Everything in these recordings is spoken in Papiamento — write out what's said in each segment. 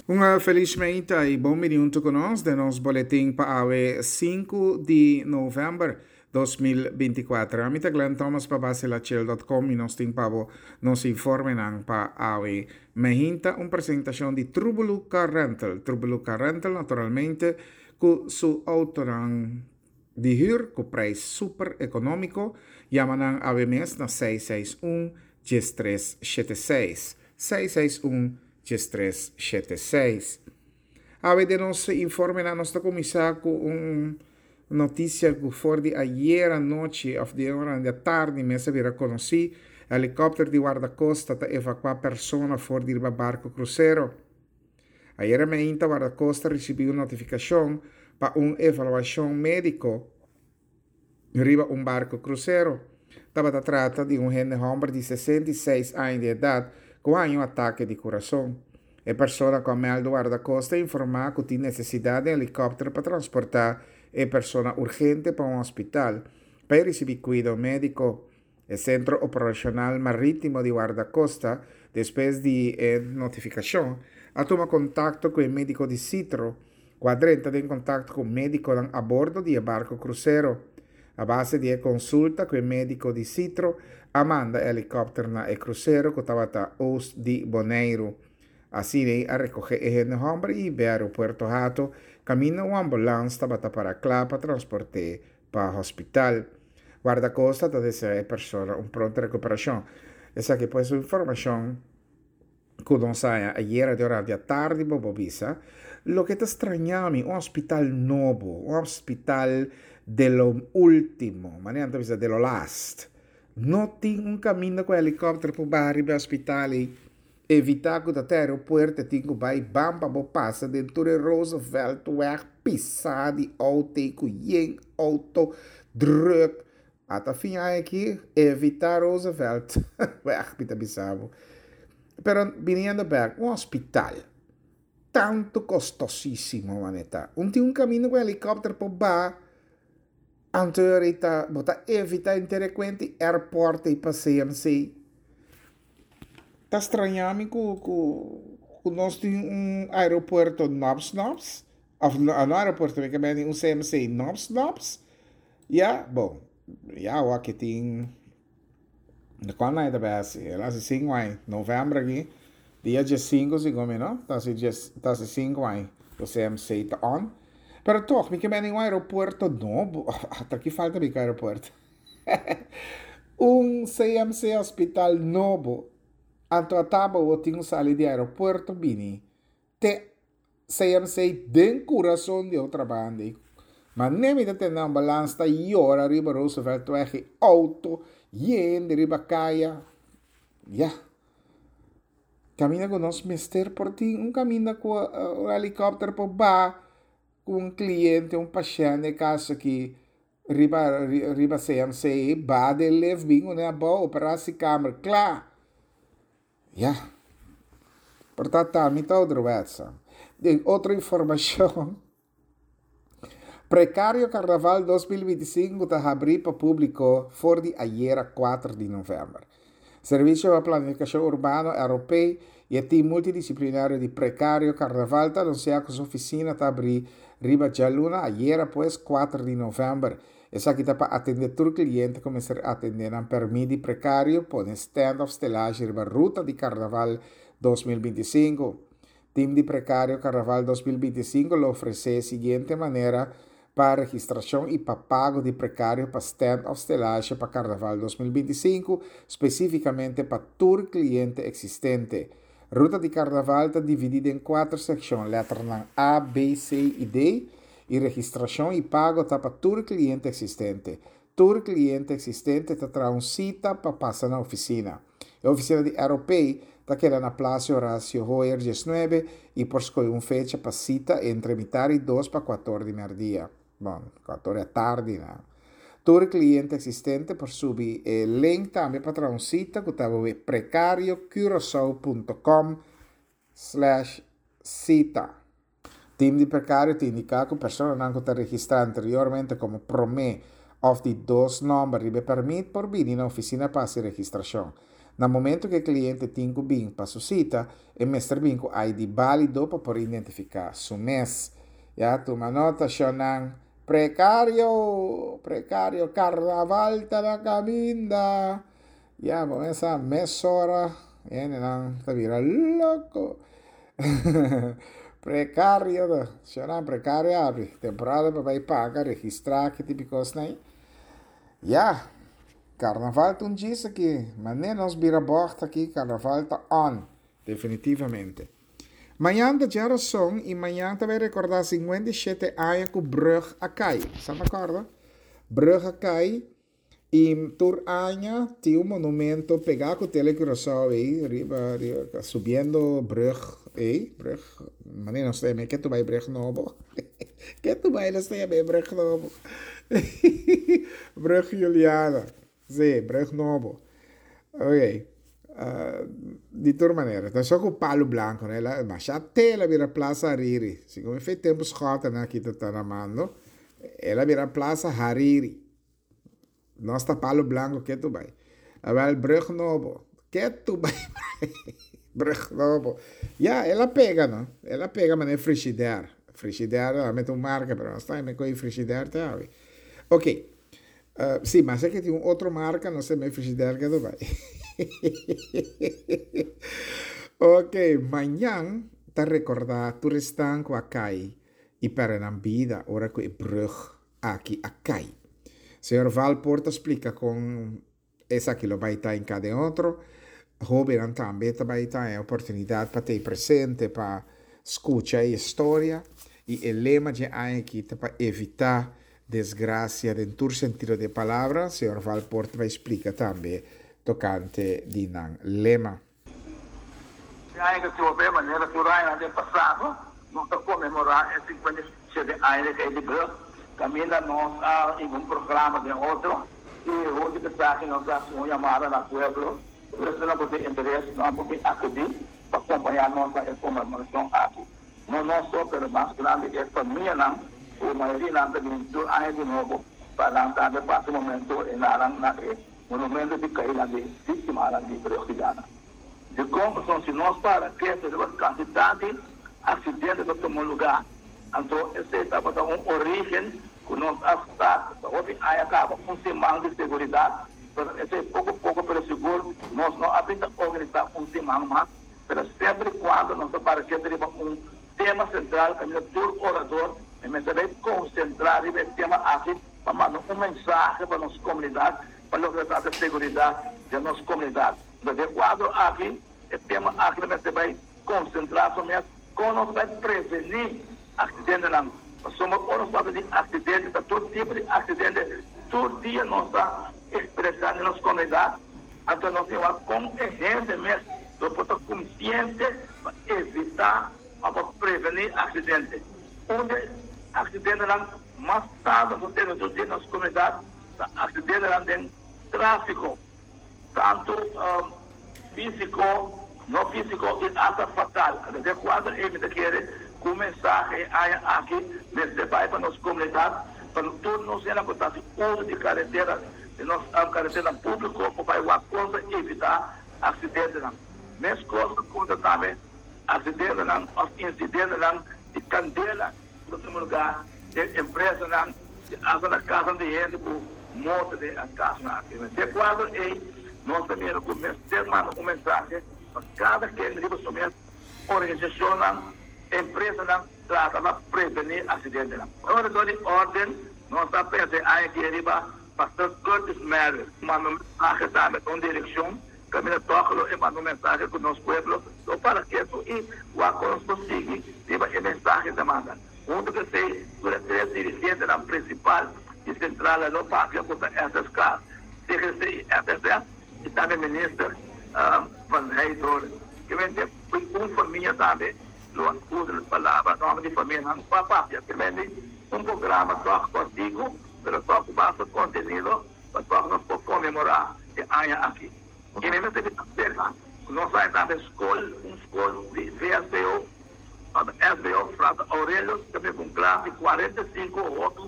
Un felis meinta i bon bini huntu ku nos den nos boletin pa awe 5 di novèmber 2024. Ami ta Glenn Thomas pa baselachel.com i nos tin pa bo nos informenan pa awe meinta. Un presentashon di Trubelu Car Rental. Trubelu Car Rental naturalmente ku su outonan di hür ku preis super ekonómiko. Yama nan awe mes na 661 1376. 661 1376. Awe den nos informenan nos ta kuminsá ku un notisia ku for di ayera nochi òf di ora di atardi mes a bira konosí, helikòpter di Wardakosta ta evakuá persona for di riba barko krusero. Ayera meinta Wardakosta risibí un notifikashon pa un evaluashon médiko riba un barco crucero. Tabata trata di un hende homber di 66 aña di edad cu a haña un atake di curason. E persona cu a meldo Guardacosta a informa cu tin necesidad di helicopter pa transporta e persona urgente pa un hospital pa e ricibi cuido medico. E Sentro Operashonal Marítimo di Wardakosta, despues di e notifikashon, a tuma kontakto ku e médiko di Citro, ku a drenta den kontakto ku médikonan a bordo di e barko krusero. A base di e konsulta ku e médiko di Citro, a manda e helikòpter na e krusero ku tabata oost di Boneiru. Asina a rekohé e hende hòmber i hib'é aeropuerto Hato, kaminda un ambulans tabata para kla pa transport'é pa hospital. Guardacosta ta desea e persona un pronto recuperacion. Esaki pues un informacion cu nos haya ayera di ora di atardi bo por bisa. Loke ta straña mi, un hospital nobo, un hospital de lo ultimo, manera nan ta bisa de lo last, no tin un caminda cu helicopter por baha riba e hospital ey. Evitá ku ta te aeropuerto e tin ku bai ban pa bo pasa den tur e Rooseveltweg pisá di outo ei ku yen outo drùk. Ata fin aña aki evitá Rooseveltweg mi ta bisa bo. Pero biniendo bèk un hospital tantu kostosísimo manera ta. Un tin un kaminda ku helikòpter por baha anto ta bo ta evitá henter e kuenta di airport ei pa CMC. Ta straña mi ku ku ku nos tin un aeropuerto nòps nòps òf no aeropuerto mi ke mende un CMC nòps nòps ya bon ya awor aki tin di kuando nan e ta bai hasi el a hasi sinku aña novèmber aki dia diesinku segun mi no ta hasi dies ta hasi sinku aña ku CMC ta on pero tòg mi ke mende un aeropuerto nobo ata ki falta mi ku aeropuerto. Un CMC hospital nobo anto a taba bo tin un sali di aeropuerto bini te CMC den curason di otra banda y mane mi ta tende ambulance ta yora riba Rooseveltweg y auto yen di riba caya ya caminda cu nos mester por tin un caminda cu un helicopter por baha cu un cliente un pashent e caso aki. Riba riba CMC ba den lift bin une abou operatiekamer kla. Ya. Por ta ta mi ta ouderwetse. Den otro informacion. Precario Carnaval 2025 ta habri pa publico for di ayera 4 di november. Servicio pa Planificacion Urbano, ROP, y e team multidisciplinario di Precario Carnaval ta anuncia cu su oficina ta abri riba djaluna, ayera pues, 4 di november. Esaki ta pa atende tur cliente cu mester atende nan permit di precario, pone stand of stelage riba ruta di Carnaval 2025. Team di Precario Carnaval 2025 lo ofrece e siguiente manera pa registracion y pa pago di precario pa stand of stelage pa Carnaval 2025, specificamente pa tur cliente existente. Ruta di Carnaval ta dividi den cuater seccion, letternan A, B, C y D, y registracion y pago ta pa tur cliente existente. Tur cliente existente ta traha un cita pa pasa na oficina. E oficina di ROP ta keda na Plaza Horacio Hoyer 19 y por scoge un fecha pa cita entre mitar y dos pa cuator di merdia. Bon, cuator di atardi na. Tur cliente existente por subi e link tambe pa traha un cita cu ta www.precariocuraçao.com slash cita. Tim di Prekario ta indiká ku personanan ku ta registrá anteriormente komo promé òf di dos nòmber riba e pèrmit por bini na ofisina pa hasi registrashon. Na momento ku e kliente tin ku bin pa su sita, e mester bin ku ID bálido pa por identifiká su mes. Ya tuma nota shonnan. Prekario! Prekario! Karnaval ta na kaminda! Ya bo mesa mesora hendenan ta bira loko. Prekario ta, shonnan prekario abi. Temporada pa bai paga, registrá, ki tipo di kosnan ei. Ya, karnaval ta un djis aki. Manera nos bira bògt aki, karnaval ta on, definitivamente. Mañan ta djarason i mañan ta bai rekordá 57 aña ku brùg a kai. Sa ta kòrda? Brùg a kai i tur aña tin un monumento pegá ku Tele Curaçao ei riba riba subiendo brùg ei, brùg, manera nos ta yama e ke tu bai brùg nobo? Ke tu bai nos ta yama e brùg nobo? Brùg Juliana. Sí, brug nobo. Ok. Di tur manera, ta so ku palu blanku, no? El a masha te el a bira Plaza Hariri. Segun e fe tempu Schotten aki ta ta na mando, el a bira Plaza Hariri. Nos ta palu blanku ketu bai. Awel, brug nobo. Ketu bai brug nobo. Ya, el a pega, no? El a pega manera Frigidaire. Frigidaire realmente un marka, pero nos ta koe Frigidaire te awe. Ok. Sí, mas e ke tin un otro marka, no sé, mi frigidaire ke bai. Ok, mañan ta rekordá tur esnan ku a kai i pèrdè nan bida ora ku e brùg aki a kai. Señor Valpoort ta splika kon esaki lo bai ta en kada en otro. Hóbennan tambe ta bai ta e oportunidat pa ta presente pa skucha e historia i e lema dje aña aki ta pa evitá Desgracia den tur sentido di e palabra, señor Valpoort ta bay splica tambe tocante di nan lema. E aña cu trobe, manera tur añanan den pasado, nos ta conmemora e 57 aña di Ley di Brug, caminda nos a hiba un programa den otro y hunto cu esaki nos a haci un yamada na pueblo, tur esnan cu tin interes nan por bin acudi pa compaña nos na e conmemoracion aki. No nos so, pero mas grandi e famianan ku mayorianan ta bini tur aña di nobo pa nan tambe pasa un momento e nanan na e monumento di kainan di víktimanan di Brug di Gana. Dikon? Pasobra si nos para kete riba kantidat di aksidente ku a tuma lugá, anto esei tabata un orígen ku nos a start pa hopi aña kaba un siman di seguridat, pero esei poko poko pero sigur nos no a bin ta organisá un siman mas. Pero semper y cuando nos ta para kende riba un tema central caminda tur orador e mester bay concentra riba e tema aki pa manda un mensahe pa nos comunidad pa loke ta trata seguridad den nos comunidad. Entonces den cuadro aki e tema aki lo mester bay concentra su mes con nos bay preveni accidentenan pasobra ora nos papia di accidente ta tur tipo di accidente tur dia nos ta expresa den nos comunidad. Anto nos tin wak kon e hende mes lo por ta konsiente pa evitá òf pa prevení aksidente. Un di e aksidentenan mas tantu ku tene tur dia den nos komunidat ta aksidentenan den tráfiko, tantu físiko, no físiko i asta fatal. Anto den kuadro ei mi ta kere ku un mensahe e aña aki mester bai pa nos komunidat, pa tur nos hende ku ta hasi uso di karetera. Di nos karetenan públiko por bai wak kon ta evitá aksidentenan. Meskos ta konta tambe aksidentenan òf insidentenan di kandela ku ta tuma lugá den empresanan i asta na kasnan di hende ku morto den e kasnan aki. Den kuadro ei nos ta mira ku mester manda un mensahe pa kada ken riba su mes organisashonnan, empresanan trata pa prevení aksidentenan. Ora dor di órden nos ta pensa e aña aki riba Pastor Curtis Merrill manda un mensahe tambe ta un direccion caminda toch lo e manda un mensahe cu nos pueblo lo para ketu y wak con nos por sigui riba e mensahe ta manda. Hunto cu esey tur e tres dirigentenan principal y central lo papia cu ta SSK, CGC y FSS y tambe Minister Van Heydoorn. Kemente un famia tambe lo a usa e palabra nomber di famianan pa papia. Kemente un programa toch cortico. Pero tòg ku basta kontenido pa tòg nos por konmemorá e aña aki. I mi mester bisa serka ku nos a tambe skol, un skol di VSBO, SBO Frater Aurelius tambe ku un klas di 45 hopi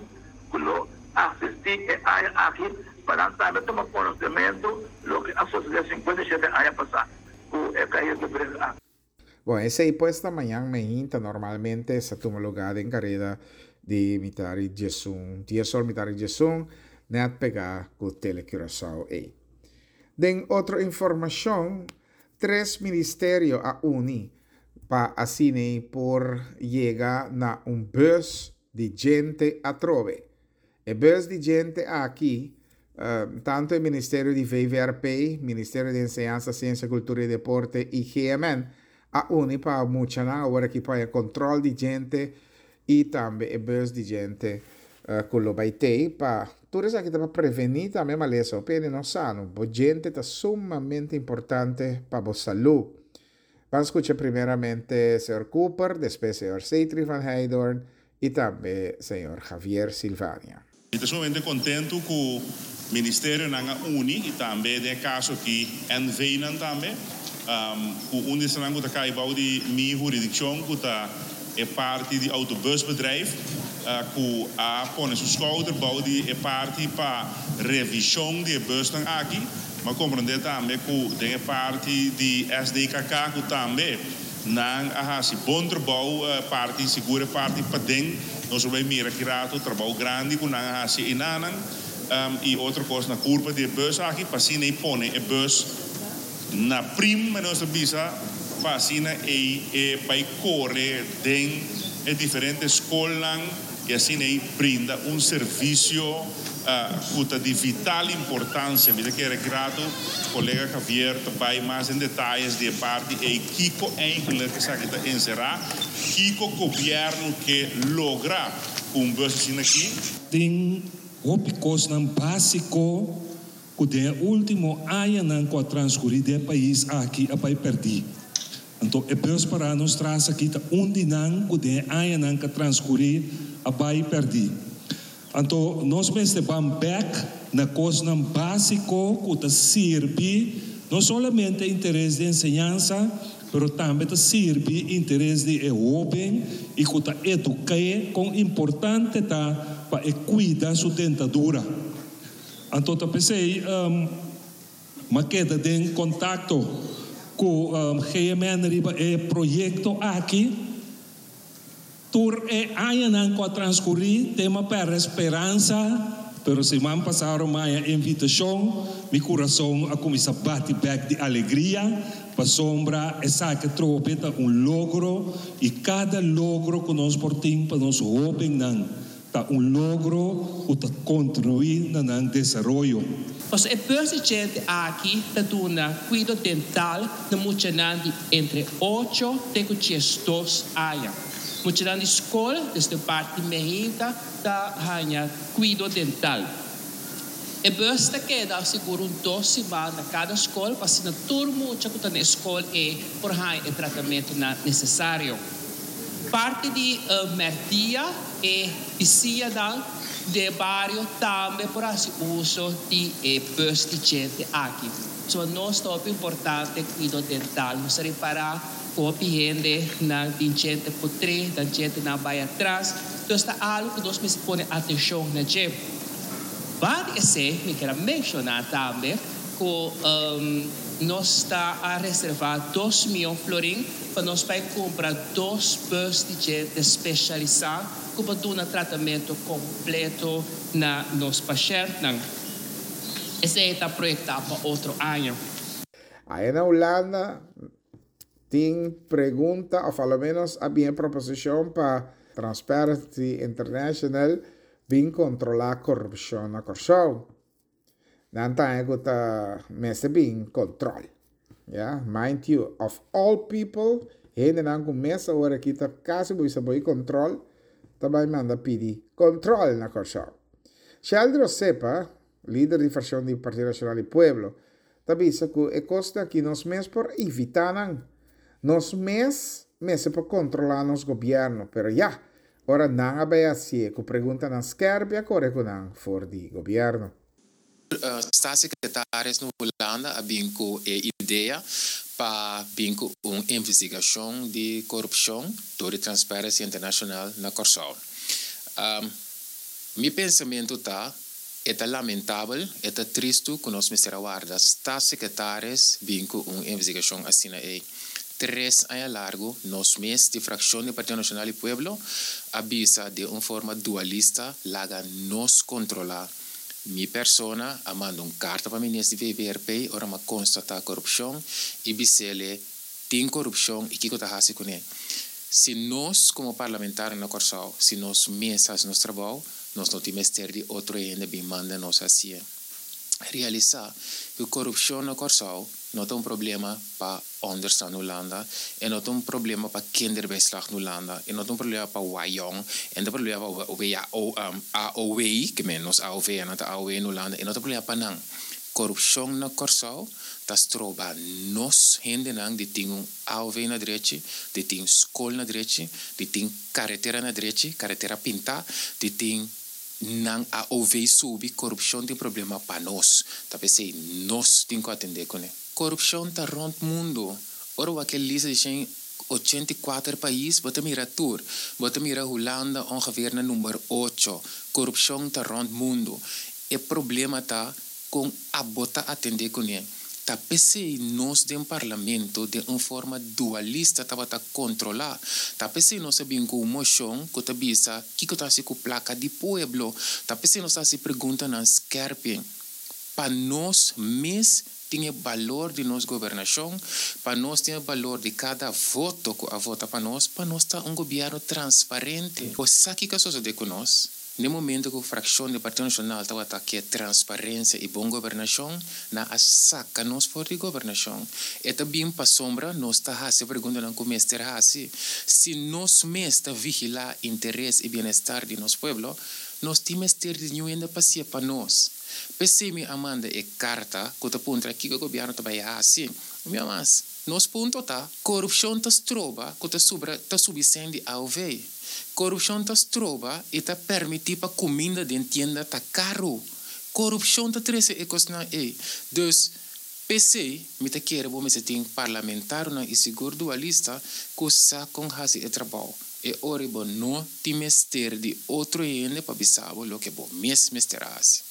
ku lo asistí e aña aki. pa nan tambe tuma konosementu loke a sosodé 57 aña pasá ku e kaida di brug aki. Bon, esei pues ta mañan meinta normalmente sa tuma lugá den kareda di mitar i diesun, dies or mitar i diesun, nèt pegá ku Tele Curaçao ei. Den otro informashon, tres ministerio a uni pa asin'ei por yega na un bus di djente atrobe. E bus di djente aki, tantu e Ministerio di VVRP, Ministerio di Enseñansa, Siensia, Kultura i Deporte i GMN a uni pa muchanan awor aki por haña kontrol di djente i tambe e bus di djente ku lo bai tei pa tur esaki ta pa prevení tambe malesa. Hopi hende no sa no, bo djente ta sumamente importante pa bo salú. Ban skucha primeramente señor Cooper, despues señor Seitri van Heydoorn i tambe señor Javier Silvania. Mi ta sumamente kontentu ku ministerionan a uni i tambe den e kaso aki NVnan tambe, ku un di esnan ku ta kai bou di mi huridikshon ku ta e parti di autobusbedrijf ku a pone su skouder bou di e parti pa revishon di e busnan aki. Mi a komprondé tambe ku den e parti di SDKK ku tambe Nan a hasi bon trabou parti sigur e parti paden nos lo bay mira ki rato trabou grandi ku nan a hasi einanan i otro kos na kurpa di e bus aki pa asina ei pone e bus na prim manera nos ta bisa pa asina ei e bay kore den e diferente skolnan i asina ei brinda un servisio ku ta di vital importansia. Mi ta kere grato kolega Javier ta bai mas den detayes di e parti ei kiko eigenlik esaki ta enserá, kiko gobièrnu ke logra ku un bus asina aki. Tin hopi kosnan básiko ku den e último añanan ku a transkurí den e pais aki a bai pèrdí. Anto e bus pará nos tras aki ta un di nan ku den e añanan ku a transkurí a bai pèrdí. Anto nos mester ban bèk na kosnan básiko ku ta sirbi no solamente interes di enseñansa, pero tambe ta sirbi interes di e hóben i ku ta eduk'é kon importante ta pa e kuida su dentadura. Anto ta p'esei m'a keda den kontakto ku GMN riba e proyekto aki. Tur e añanan ku a transkurí te m'a pèrdè speransa, pero siman pasá m'a haña invitashon, mi kurason a kuminsá bati bèk di alegria, pasobra esaki atrobe ta un logro i kada logro ku nos por tin pa nos hóbennan ta un logro ku ta kontribuí na nan desaroyo. Pasobra e bus di djente aki ta duna kuido dental na muchanan di entre ocho te ku diesdos aña. Muchanan di skol, desde parti meinta, ta haña kuido dental. E bus ta keda sigur un dos siman na kada skol pa asina tur mucha ku ta na e skol ei por haña e tratamentunan nesesario. Parti di mèrdia e bisiñanan den e bario tambe por hasi uso di e bus di djente aki. So nos ta hopi importante kuido dental. Nos ta ripará ku hopi hende nan tin djente putrí, nan djentenan bai atras. Entonces ta algu ku nos mester pone atenshon na dje. Banda di esei mi kier a menshoná tambe ku nos ta a reservá dos mion florin pa nos bai kumpra dos bus di djente spesialisá ku por duna tratamentu kompleto na nos pashèntnan. Esei ta proyektá pa otro aña. Aya na Hulanda tin pregunta of a lo menos a bin e proposicion pa Transparency International bin controla corrupcion na Corsou. Nan ta haña ku ta mester bin control. Ya, mind you, of all people, hendenan ku mes awor aki ta kasi bo bisa bo i control, ta bai manda pidi control na Kòrsou. Sheldry Osepa, lider di fraccion di Partido Nacional di Pueblo, ta bisa ku e kosnan aki nos mes por evitá nan. Nos mes mester por controla nos gobierno, pero ya, Ora nan a bai hacié cu preguntanan skerpi a core cu nan for di gobierno. Staatssecretaris na Hulanda a bin cu e idea pa bin cu un investigacion di corupcion door di Transparency International na Corsou. Mi pensamento ta. E ta lamentabel, e ta tristu ku nos mester a warda Staatssecretaris bin ku un investigashon asina ei. Tres aña largu nos mes di frakshon di Partido Nashonal di Pueblo a bisa den un forma dualista laga nos kontrolá. Mi persona a manda un karta pa minister di VVRP ora m'a konstatá korupshon i bis'ele tin korupshon i kiko ta hasi kuné. Si nos komo parlamentario na Kòrsou, si nos mes hasi nos trabou, nos no tin mester di otro hende bin manda nos hasié. Realisá ku korupshon na Kòrsou no ta un problema pa onderstand Hulanda, e no ta un problema pa kinderbijslag Hulanda, e no ta un problema pa Wajong, e no ta un problema pa WHO, AOW, ke men nos AOV nan ta AOW na Hulanda, e no ta un problema pa nan. Korupshon na Kòrsou ta stroba nos hendenan di tin un AOV na drechi, di tin skol na drechi, di tin karetera na drechi, karetera pintá, di tin nan AOV subi, korupshon tin problema pa nos. Ta p'esei nos tin ku atendé kuné. Korupshon ta rònt mundu. Ora wak e lista di 184 pais, bo ta mira tur. Bo ta mira Hulanda ongeveer na number ocho. Korupshon ta rònt mundu. E problema ta kon abo ta atendé kuné. Ta p'esei nos den Parlamento den un forma dualista tabata kontrolá. Ta p'esei nos a bin ku un moshon ku ta bisa kiko ta hasi ku plaka di pueblo. Ta p'esei nos ta hasi preguntanan skèrpi pa nos mes tin e balor di nos gobernashon, pa nos tin e balor di kada voto ku a vota pa nos, pa nos ta un gobièrnu transparente. Bo sa kiko a sosodé ku nos? N'e momento ku frakshon di Partido Nashonal tabata ke transparensia i bon gobernashon, nan a saka nos for di gobernashon. E ta bin pasobra nos ta hasi e preguntanan ku mester hasi. Si nos mes ta vigilá interes i bienestar di nos pueblo, nos tin mester di niun hende pa si'e pa nos. P'esei mi a manda e karta ku ta puntra kiko gobièrnu ta bai hasi. Mi a mas, nos punto ta, korupshon ta stroba ku ta subra ta subi sèn di aov. Korupshon ta stroba i ta permití pa kuminda den tienda ta karu. Korupshon ta trese e kosnan ei. Dus, p'esei mi ta kere bo mester tin parlamentarionan i sigur dualista ku sa kon hasi e trabou. E ora bo no tin mester di otro hende pa bisa bo loke bo mes mester hasi.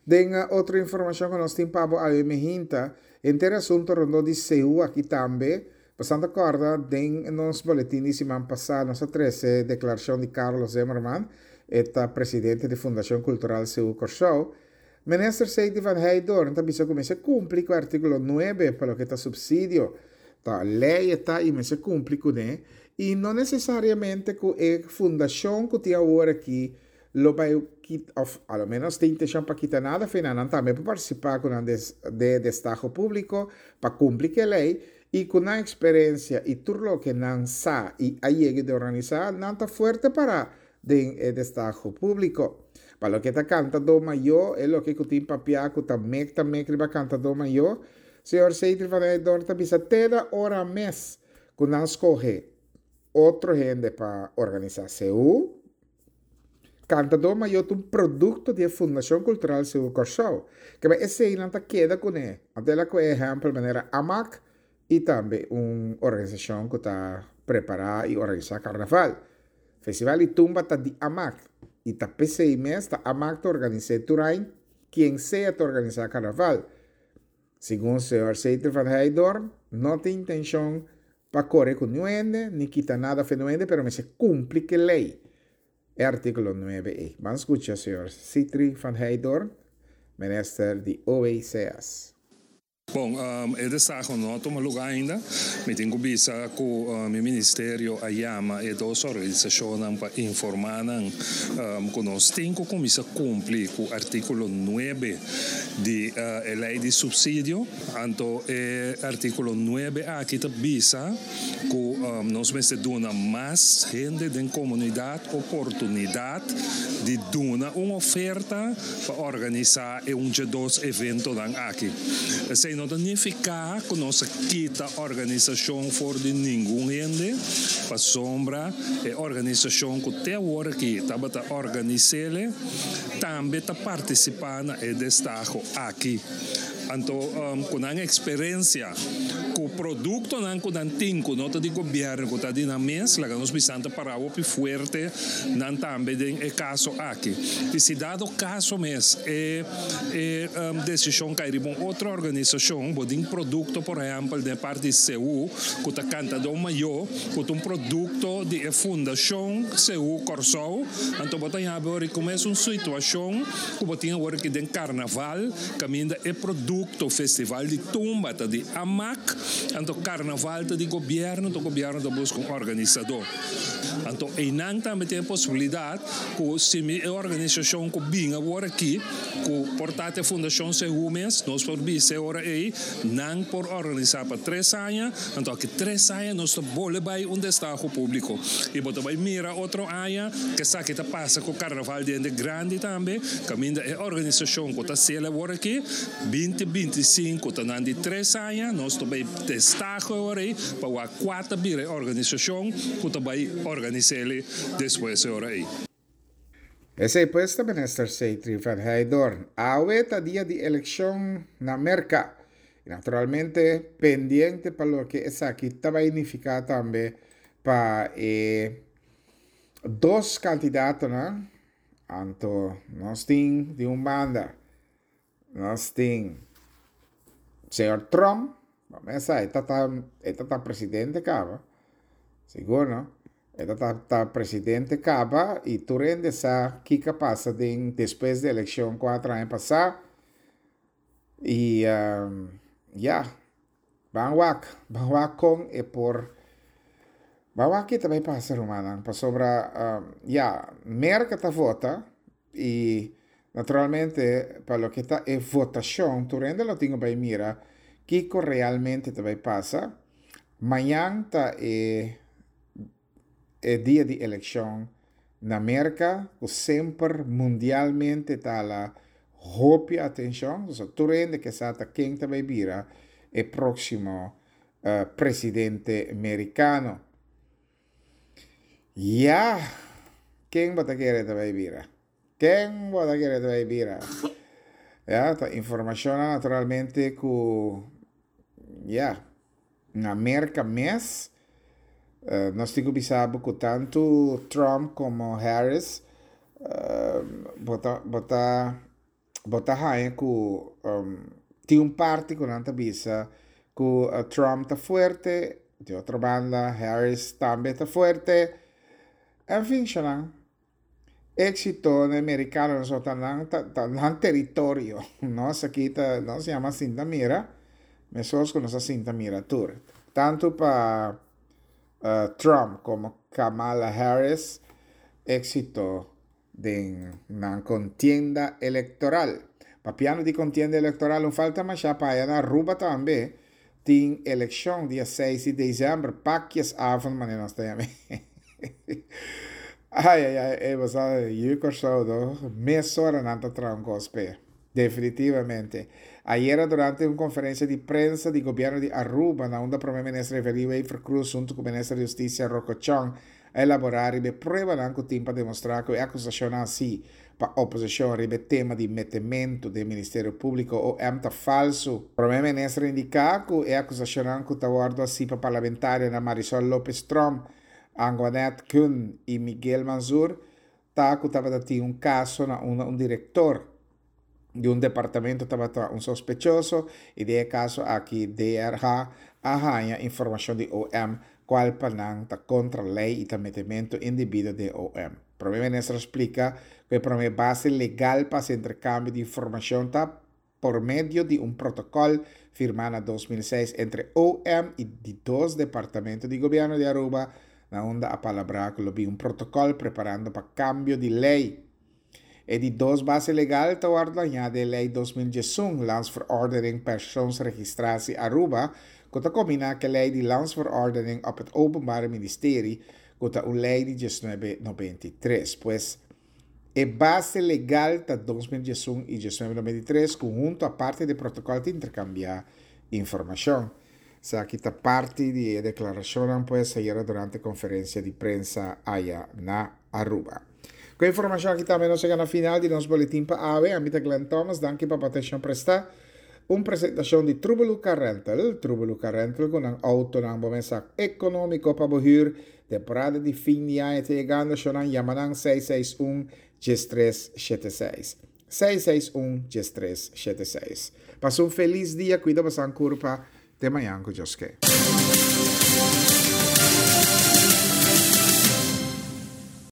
Den otro informashon ku nos tin pa bo awe mehinta, henter e asunto rondó di Seú aki tambe, Pasando ta kòrda den nos boletin di siman pasá nos a trese deklarashon di Carlos Zimmerman, e ta presidente di Fundashon Kultural Seú Kòrsou. Minister Seidy van Heydoorn ta bisa ku mester kumpli ku artíkulo nuebe pa loke ta supsidio. Ta lei e ta i mester kumpli kuné i no nesesariamente ku e fundashon ku tin awor aki lo bai kita of a lo menos tin intencion pa kita nada fina nan tambe por participa cu nan de destaho publico pa cumpli cu e ley y cu nan experiencia y tur loke nan sa y a yega di organisa nan ta fuerte para den e destaho publico. Pa loke ta cantador mayor e loke cu tin papia cu ta mek ta mek riba cantador mayor, señor Cedric van Heydoorn ta bisa te na ora mes cu nan scoge otro hende pa organisa CU. Kantadó Mayó ta un produkto di e Fundashon Kultural Seú Kòrsou. Keba eseinan ta keda kuné. Anto el a kohe ehèmpel manera amak i tambe un organisashon ku ta prepará i organisá karnaval. Festival di Tumba ta di amak i ta p'esei mes ta amak ta organis'é tur aña kien sea ta organisá karnaval. Segun señor Seiter van Heydoorn no tin intenshon pa kore ku niun hende ni kita nada fe niun hende pero mester kumpli ku e lei, e artíkulo nuebe ei. Ban skucha señor Sitri van Heydoorn, minister di OECS. Bon, e destaho no a tuma lugá ainda. Mi tin ku bisa ku mi ministerio a yama e dos organisashonnan pa informá nan ku nos tin ku kuminsá kumpli ku artíkulo nuebe di e lei di supsidio. Anto e artíkulo nuebe aki ta bisa ku nos mester duna mas hende den komunidat oportunidat di duna un oferta pa organisá e un dje dos eventonan aki. Esei no ta nifiká ku nos a kita organisashon for di ningun hende, pasobra e organisashon ku te awor aki tabata organis'ele tambe ta partisipá na e destaho aki. Anto ku nan eksperensia ku. Produktonan ku nan tin ku no ta di gobièrnu ku ta di nan mes, laga nos bisa nan ta pará hopi fuerte nan tambe den e kaso aki. I si dado kaso mes e e desishon kai riba un otro organisashon, bo tin produkto por ehèmpel den e parti di Seú ku ta Kantadó Mayó ku ta un produkto di e Fundashon Seú Kòrsou, anto bo ta yabi ora ku mes un situashon ku bo tin awor aki den karnaval kaminda e produkto Festival di Tumba ta di Amak, anto karnaval ta di gobièrnu, anto gobièrnu ta buska un organisadó. Anto einan tambe tin e posibilidat ku si mi e organisashon ku bin awor aki ku por ta te Fundashon Sehu mes, nos por bisa e ora ei nan por organisá pa tres aña, anto aki tres aña nos ta bole bai un destaho públiko i bo ta bai mira otro aña ke esaki ta pasa ku karnaval di hende grandi tambe kaminda e organisashon ku ta sel awor aki binti 25 ta nan di tres aña nos ta bai destaho e ora ei pa wak kua ta bira e organisashon ku ta bai organis'é despues e ora ei. Esei pues ta Minister Seytri van Heydoorn. Awe ta dia di elekshon na Merka. I naturalmente pendiente pa loke esaki ta bai nifiká tambe pa e dos kandidatonan. Anto nos tin di un banda Nos tin señor Trump, bo mesa e ta ta e ta ta presidente kaba, sigur no? E ta ta ta presidente kaba i tur hende sa kiko a pasa den despues di elekshon kuater aña pasá i ya ban wak ban wak kon e por ban wak ke ta bai pasa rumannan pasobra ya Merka ta vota I naturalmente pa loke ta e votashon tur hende lo tin ku bai mira kiko realmente ta bai pasa. Mañan ta e e dia di elekshon na Merka ku semper mundialmente ta hala hopi atenshon. Pasobra tur hende ke sa ta ken ta bai bira e próksimo presidente merikano. Ya! Ken bo ta kere ta bai bira? Ken bo ta kere ta bai bira? Ya, ta informashonnan naturalmente ku, ya, na Merka mes, nos tin ku bisa bo ku tantu Trump komo Harris, bo ta, bo ta. Bo ta haña ku tin un parti ku nan ta bisa ku Trump ta fuerte, di otro banda Harris tambe ta fuerte. En fin shanan, éksito na e merikanonan so ta nan ta nan teritorio. Nos aki ta nos yama sinta mira, meskos ku nos a sinta mira tur. Tantu pa Trump komo Kamala Harris éksito Den nan kontienda elektoral. Papiando di kontienda elektoral un falta mashá pa aya na Aruba tambe tin elekshon dia seis di desèmber, pakjesavond manera nos ta yam'é. Ai ai ai ey bo sa yu Kòrsou no mesora nan ta traha un kos p'e. Definitivamente. Ayera durante un konferensia di prensa di gobièrnu di Aruba na unda Prome Minister Evelyn Wever-Croes huntu ku Minister di Hustisia Rocco Chong a elaborá riba e pruebanan ku tin pa demostrá ku e akusashonnan hasí pa oposishon riba e tema di metementu den Ministerio Públiko, OM, ta falsu. Prome Minister a indiká ku e akusashonnan ku ta wòrdu hasí pa parlamentarionan Marisol Lopez Tromp, Angoinette Kuhn i Miguel Mansur ta ku tabata tin un kaso na unda un direktor di un departamento tabata un sospechoso y den e caso aki DRH a haña informacion di OM cual pa nan ta contra ley y ta metemento indebido den OM. Prome Minister a splica cu e prome base legal pa haci intercambio di informacion ta por medio di un protocol firma na 2006 entre OM y di dos departamento di Gobierno di Aruba na unda a palabra cu lo bin un protocol preparando pa cambio di ley. E di dos base legal ta wòrdu dañá den Lei 2011, Landsverordening Persoonsregistratie Aruba, ku ta kombiná ku e Lei di Landsverordening op het Openbare Ministerie, ku ta un lei di 1993. Pues, e base legal ta 2011 i 1993 ku huntu aparte di e protokòl ta interkambiá informashon. Esaki ta parti di e deklarashonnan pues ayera durante konferensia di prensa aya na Aruba. Ku e informashon aki tambe nos yega na final di nos boletin pa awe. Ami ta Glenn Thomas, danki pa bo atenshon prestá. Un presentashon di Trubelu Car Rental, Trubelu Car Rental ku nan outonan bo mesa ekonómiko pa bo hür. Temporada di fin di aña ta yegando, shownan yama nan 661 1376. 661 1376. Pasa un felis dia, kuida bosan kurpa. Te mañan ku Dios ke.